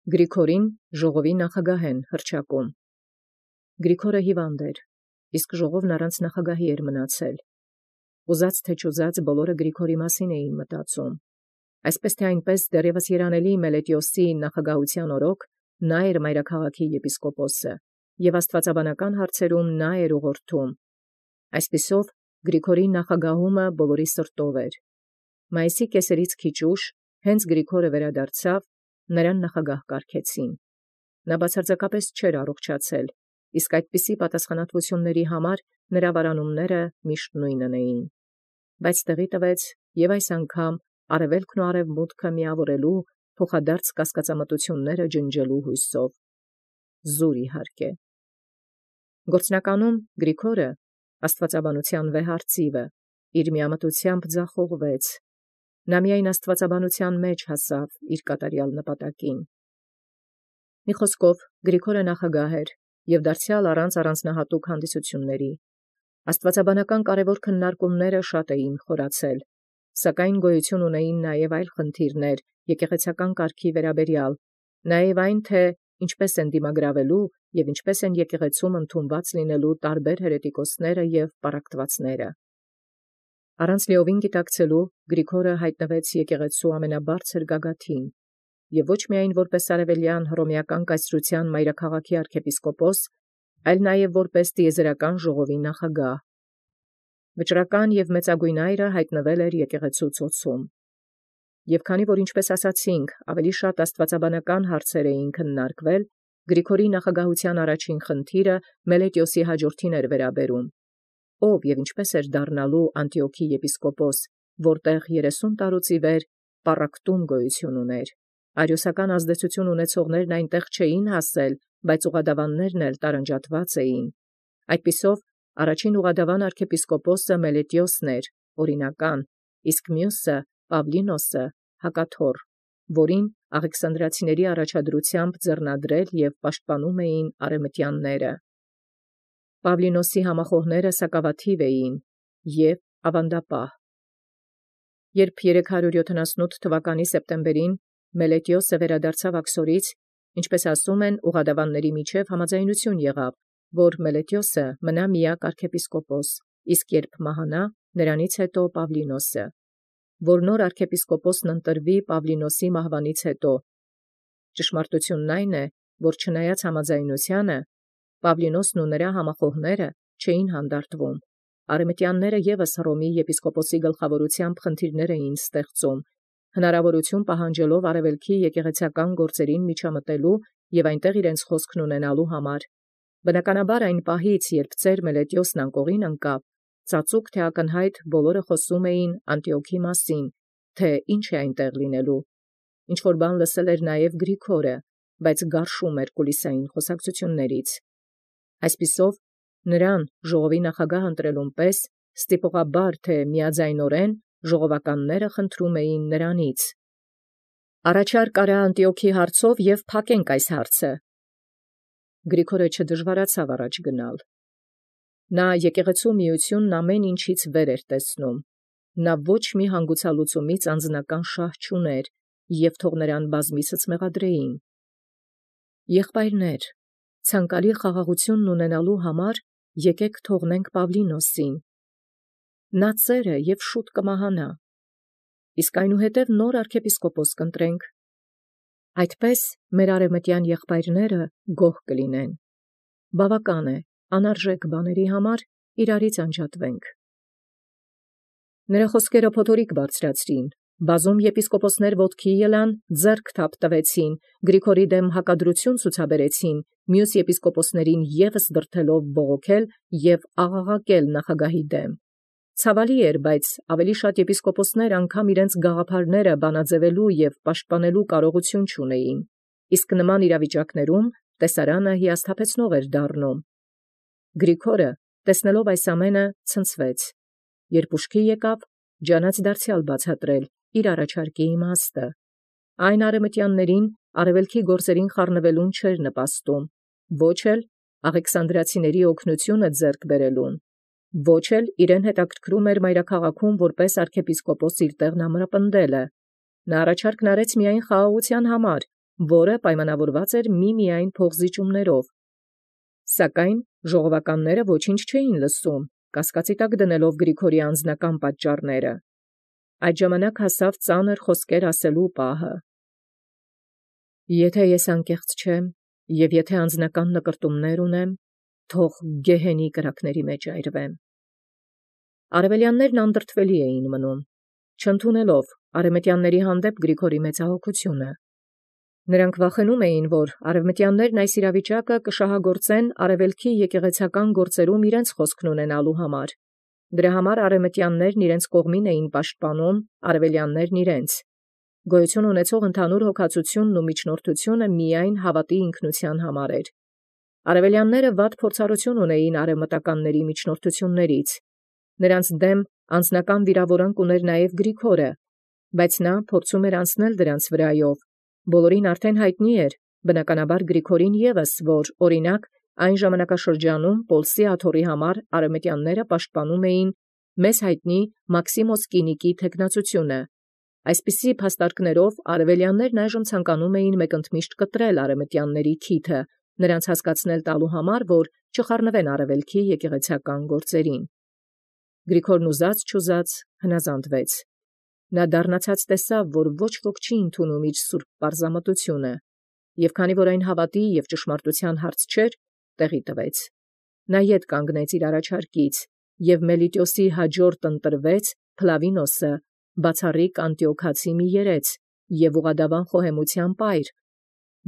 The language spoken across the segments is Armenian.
Գրիգորին ժողովի նախագահեն հռչակում։ Գրիգորը հիվանդ էր, իսկ ժողովն առանց նախագահի էր մնացել։ Ուզած թե չուզած բոլորը Գրիգորի մասին էին մտածում։ Այսպես թե այնպես դեռևս երանելի Մելետիոսի նախագահության օրոք նա էր մայրաքաղաքի եպիսկոպոսը, և աստվածաբանական հարցերում նա էր ուղղորդում։ Այսպիսով Գրիգորի նախագահումը բոլորի սրտով էր։ Մայիսի կեսերից քիչ ուշ, հենց Գրիգորը վերադարձավ, նրան նախագահ կարգեցին։ Նա բացարձակապես չէր առողջացել, իսկ այդպիսի պատասխանատվությունների համար նրա վարանումները միշտ նույնն էին։ Բայց տեղի տվեց և այս անգամ արևելքն ու արևմուտքը միավորելու փոխադարձ կասկածամտությունները ջնջելու հույսով։ Զուր իհարկե։ Գործնականում Գրիգորը, աստվածաբանության վեհարծիվը, իր միամտությամբ ձախողվեց։ Նա միայն աստվածաբանության մեջ հասավ իր կատարյալ նպատակին։ Մի խոսքով Գրիգորը նախագահ էր և դարձյալ առանց առանձնահատուկ հանդիսությունների։ Աստվածաբանական կարևոր քննարկումները շատ էին խորացել, սակայն գոյություն ունեին նաև այլ խնդիրներ եկեղեցական կարգի վերաբերյալ, նաև այն, թե ինչպես են դիմագրավելու և ինչպես են եկեղեցում ընդունված լինելու տարբեր հերետիկոսները և պառակտվածները։ Առանց լիովին գիտակցելու Գրիգորը հայտնվեց եկեղեցու ամենաբարձր գագաթին, և ոչ միայն որպես արևելյան հռոմեական կայսրության մայրաքաղաքի arczepiskopos, այլ նաև որպես տիեզերական ժողովի նախագահ։ Վճռական և մեծագույն այրը հայտնվել էր եկեղեցու ծոցում։ Եվ քանի որ, ինչպես ասացինք, ավելի շատ աստվածաբանական հարցեր էին քննարկվել, Գրիգորի նախագահության առաջին խնդիրը Մելետիոսի հաջորդին էր վերաբերում, ով և ինչպես էր դառնալու Անտիոքի եպիսկոպոս, որտեղ 30 տարուց ի վեր պառակտում գոյություն ուներ։ Արիոսական ազդեցություն ունեցողներն այնտեղ չէին հասել, բայց ուղղադավաններն էլ տարանջատված էին։ Այդպիսով առաջին ուղղադավան arczepiskopos-ը Մելետիոսն էր, օրինական, իսկ մյուսը Պավլինոսը հակաթոռ, որին աղեքսանդրացիների առաջադրությամբ ձեռնադրել և պաշտպանում էին արևմտյանները։ Պավլինոսի համախոհները սակավաթիվ էին և ավանդապահ։ Երբ 378 թվականի սեպտեմբերին Մելետիոսը վերադարձավ Աքսորից, ինչպես ասում են, ուղղադավանների միջև համաձայնություն եղավ, որ Մելետիոսը մնա միակ arczepiskopos, իսկ երբ մահանա, նրանից հետո Պավլինոսը, որ նոր arczepiskopos-ն ընտրվի Պավլինոսի մահվանից հետո։ Ճշմարտությունն այն է, որ չնայած համաձայնությանը, Պավլինոսն ու նրա համախոհները չէին հանդարտվում։ Արևմտյանները ևս Հռոմի եպիսկոպոսի գլխավորությամբ խնդիրներ էին ստեղծում, հնարավորություն պահանջելով արևելքի եկեղեցական գործերին միջամտելու և այնտեղ իրենց խոսքն ունենալու համար։ Բնականաբար այն պահից, երբ ծեր Մելետիոսն անկողին ընկավ, ծածուկ թե ակնհայտ բոլորը խոսում էին Անտիոքի մասին, թե ինչ է այնտեղ լինելու։ Ինչ-որ բան լսել էր նաև Գրիգորը, բայց գարշում էր կուլիսային խոսակցություններից։ Այսպիսով, նրան ժողովի նախագահ ընտրելուն պես ստիպողաբար թե միաձայնորեն ժողովականները խնդրում էին նրանից. «Առաջարկ արա Անտիոքի հարցով և փակենք այս հարցը»։ Գրիգորը չդժվարացավ առաջ գնալ։ Նա եկեղեցու միությունն ամեն ինչից վեր էր տեսնում։ Նա ոչ մի հանգուցալուծումից անձնական շահ չուներ, և թող նրան բազմիցս մեղադրեին։ Եղբայրներ, ցանկալի խաղաղությունն ունենալու համար եկեք թողնենք Պավլինոսին։ Նա ծեր է և շուտ կմահանա, իսկ այնուհետև նոր arczepiskopos կընտրենք։ Այդպես մեր արևմտյան եղբայրները գոհ կլինեն։ Բավական է, անարժեք բաների համար իրարից անջատվենք։ Նրա խոսքերը փոթորիկ բարձրացրին, բազում եպիսկոպոսներ ոտքի ելան, ձեռք թափ տվեցին, Գրիգորի դեմ հակադրություն ցուցաբերեցին, մյուս եպիսկոպոսներին ևս դրդելով բողոքել և աղաղակել նախագահի դեմ։ Ցավալի էր, բայց ավելի շատ եպիսկոպոսներ անգամ իրենց գաղափարները բանաձևելու և պաշտպանելու կարողություն չունեին, իսկ նման իրավիճակներում տեսարանը հիասթափեցնող էր դառնում։ Գրիգորը, տեսնելով այս ամենը, ցնցվեց։ Երբ ուշքի եկավ, ջանաց դարձյալ բացատրել իր առաջարկի իմաստը։ Այն արևմտյաններին արևելքի գործերին խառնվելուն չէր նպաստում, ոչ էլ աղեքսանդրացիների օգնությունը ձեռք բերելուն, ոչ էլ իրեն հետաքրքրում էր մայրաքաղաքում որպես arczepiskopos իր տեղն ամրապնդելը։ Նա առաջարկն արեց միայն խաղաղության համար, որը պայմանավորված էր միմիայն փողզիջումներով։ Սակայն ժողովականները ոչինչ չէին լսում, կասկածի տակ դնելով Գրիգորի անձնական պատճառները։ Այդ ժամանակ հասավ ծանր խոսքեր ասելու պահը։ Եթե ես անկեղծ չեմ, եւ եթե անձնական նկրտումներ ունեմ, թող գեհենի կրակների մեջ այրվեմ։ Արևելյաններն անդրդվելի էին մնում, չընդունելով արևմտյանների հանդեպ Գրիգորի մեծահոգությունը։ Նրանք վախենում էին, որ արևմտյաններն այս իրավիճակը կշահագործեն արևելքի եկեղեցական գործերում իրենց խոսքն ունենալու համար։ Դրա համար արևմտյաններն իրենց կողմին էին պաշտպանում, արևելյաններն իրենց։ Գոյություն ունեցող ընդհանուր հոգացությունն ու միջնորդությունը միայն հավատի ինքնության համար էր։ Արևելյանները վատ փորձառություն ունեին արևմտականների միջնորդություններից։ Նրանց դեմ անձնական վիրավորանք ուներ նաև Գրիգորը, բայց նա փորձում էր անցնել դրանց վրայով։ Բոլորին արդեն հայտնի էր, բնականաբար Գրիգորին ևս, որ օրինակ այն ժամանակաշրջանում Պոլսի աթոռի համար արևմտյանները պաշտպանում էին մեզ հայտնի Մաքսիմոս Կինիկի թեկնածությունը։ Այսպիսի փաստարկներով արևելյաններն այժմ ցանկանում էին մեկընդմիշտ կտրել արևմտյանների քիթը, նրանց հասկացնել տալու համար, որ չխառնվեն արևելքի եկեղեցական գործերին։ Գրիգորն ուզած-չուզած հնազանդվեց։ Նա դառնացած տեսավ, որ ոչ ոք չի ընդունում իր սուրբ պարզամտությունը, եւ քանի որ այն հավատի եւ ճշմարտության հարց չէր, տեղի տվեց։ Նա ետ կանգնեց իր առաջարկից, եւ Մելիտիոսի հաջորդ ընտրվեց Փլավինոսը, բացառիկ անտիոքացի մի երեց եւ ուղղադավան խոհեմության պայր,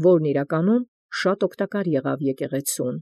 որն իրականում շատ օգտակար եղավ եկեղեցուն։